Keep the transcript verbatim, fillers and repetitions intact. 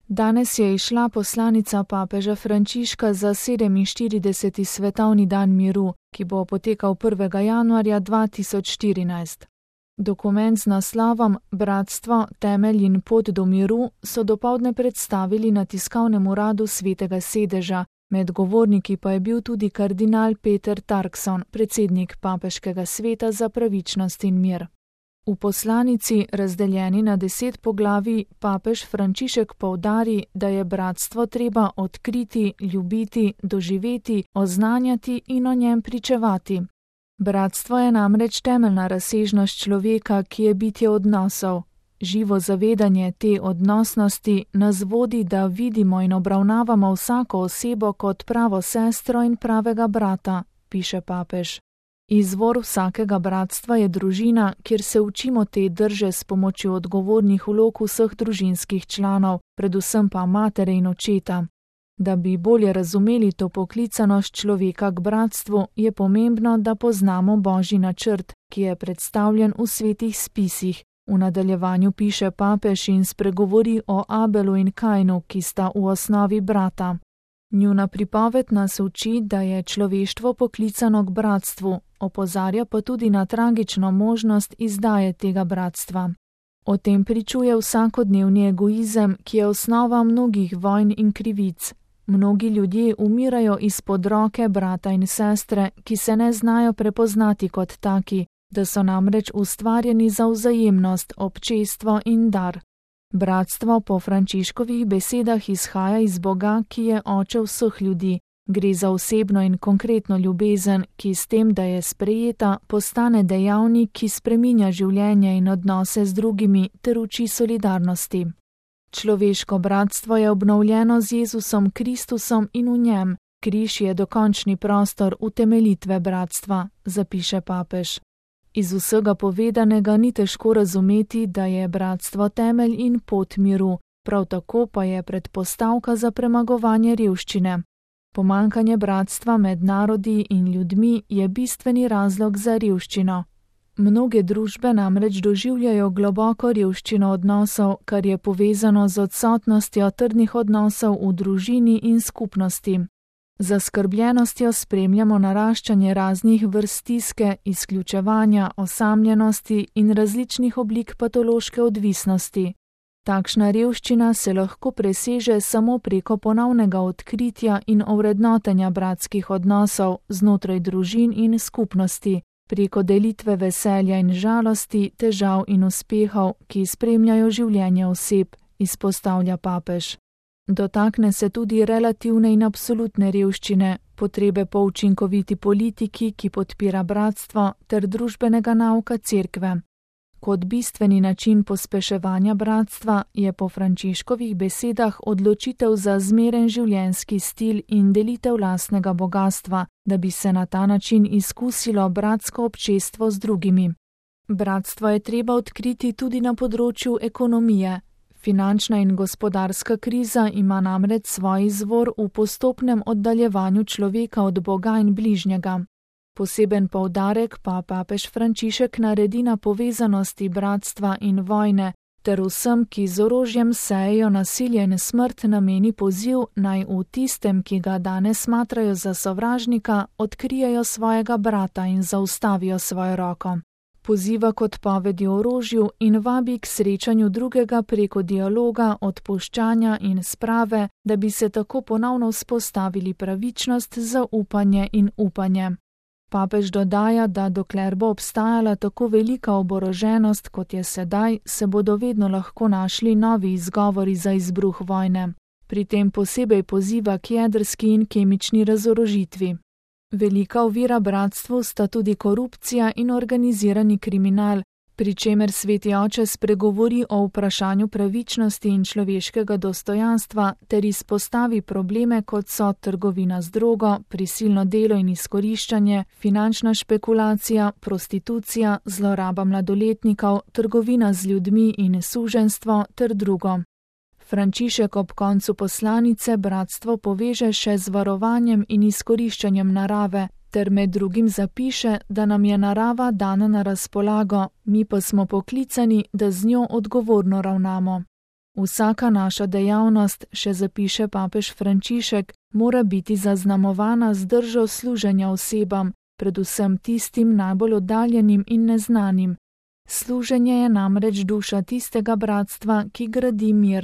Danes je izšla poslanica papeža Frančiška za sedeminštirideseti svetovni dan miru, ki bo potekal prvega januarja dva tisoč štirinajst. Dokument z naslovom Bratstvo, temelj in pot do miru so dopoldne predstavili na tiskovnem uradu Svetega sedeža, med govorniki pa je bil tudi kardinal Peter Turkson, predsednik Papeškega sveta za pravičnost in mir. V poslanici, razdeljeni na deset poglavij, papež Frančišek poudari, da je bratstvo treba odkriti, ljubiti, doživeti, oznanjati in o njem pričevati. Bratstvo je namreč temeljna razsežnost človeka, ki je bitje odnosov. Živo zavedanje te odnosnosti nas vodi, da vidimo in obravnavamo vsako osebo kot pravo sestro in pravega brata, piše papež. Izvor vsakega bratstva je družina, kjer se učimo te drže s pomočjo odgovornih vlog vseh družinskih članov, predvsem pa matere in očeta. Da bi bolje razumeli to poklicanost človeka k bratstvu, je pomembno, da poznamo Božji načrt, ki je predstavljen v svetih spisih. V nadaljevanju piše papež in spregovori o Abelu in Kainu, ki sta v osnovi brata. Njuna pripoved nas uči, da je človeštvo poklicano k bratstvu, opozarja pa tudi na tragično možnost izdaje tega bratstva. O tem pričuje vsakodnevni egoizem, ki je osnova mnogih vojn in krivic. Mnogi ljudje umirajo izpod roke brata in sestre, ki se ne znajo prepoznati kot taki, da so namreč ustvarjeni za vzajemnost, občestvo in dar. Bratstvo po Frančiškovih besedah izhaja iz Boga, ki je oče vseh ljudi. Gre za osebno in konkretno ljubezen, ki s tem, da je sprejeta, postane dejavnik, ki spreminja življenje in odnose z drugimi ter uči solidarnosti. Človeško bratstvo je obnovljeno z Jezusom Kristusom in v njem. Križ je dokončni prostor utemeljitve bratstva, zapiše papež. Iz vsega povedanega ni težko razumeti, da je bratstvo temelj in pot miru, prav tako pa je predpostavka za premagovanje revščine. Pomanjkanje bratstva med narodi in ljudmi je bistveni razlog za revščino. Mnoge družbe namreč doživljajo globoko revščino odnosov, kar je povezano z odsotnostjo trdnih odnosov v družini in skupnosti. Z zaskrbljenostjo spremljamo naraščanje raznih vrst stiske, izključevanja, osamljenosti in različnih oblik patološke odvisnosti. Takšna revščina se lahko preseže samo preko ponovnega odkritja in ovrednotenja bratskih odnosov znotraj družin in skupnosti, preko delitve veselja in žalosti, težav in uspehov, ki spremljajo življenje oseb, izpostavlja papež. Dotakne se tudi relativne in absolutne revščine, potrebe po učinkoviti politiki, ki podpira bratstvo, ter družbenega nauka cerkve. Kot bistveni način pospeševanja bratstva je po Frančiškovih besedah odločitev za zmeren življenjski stil in delitev lastnega bogastva, da bi se na ta način izkusilo bratsko občestvo z drugimi. Bratstvo je treba odkriti tudi na področju ekonomije. Finančna in gospodarska kriza ima namreč svoj izvor v postopnem oddaljevanju človeka od Boga in bližnjega. Poseben poudarek pa papež Frančišek naredi na povezanosti bratstva in vojne, ter vsem, ki z orožjem sejejo nasilje in smrt, nameni poziv, naj v tistem, ki ga danes smatrajo za sovražnika, odkrijejo svojega brata in zaustavijo svojo roko. Poziva k odpovedi orožju in vabi k srečanju drugega preko dialoga, odpuščanja in sprave, da bi se tako ponovno vzpostavili pravičnost, zaupanje in upanje. Papež dodaja, da dokler bo obstajala tako velika oboroženost, kot je sedaj, se bodo vedno lahko našli novi izgovori za izbruh vojne. Pri tem posebej poziva k jedrski in kemični razorožitvi. Velika ovira bratstvu sta tudi korupcija in organizirani kriminal, pri čemer Sveti oče spregovori o vprašanju pravičnosti in človeškega dostojanstva ter izpostavi probleme, kot so trgovina z drogo, prisilno delo in izkoriščanje, finančna špekulacija, prostitucija, zloraba mladoletnikov, trgovina z ljudmi in suženjstvo ter drugo. Frančišek ob koncu poslanice bratstvo poveže še z varovanjem in izkoriščanjem narave, ter med drugim zapiše, da nam je narava dana na razpolago, mi pa smo poklicani, da z njo odgovorno ravnamo. Vsaka naša dejavnost, še zapiše papež Frančišek, mora biti zaznamovana z držo služenja osebam, predvsem tistim najbolj oddaljenim in neznanim. Služenje je namreč duša tistega bratstva, ki gradi mir.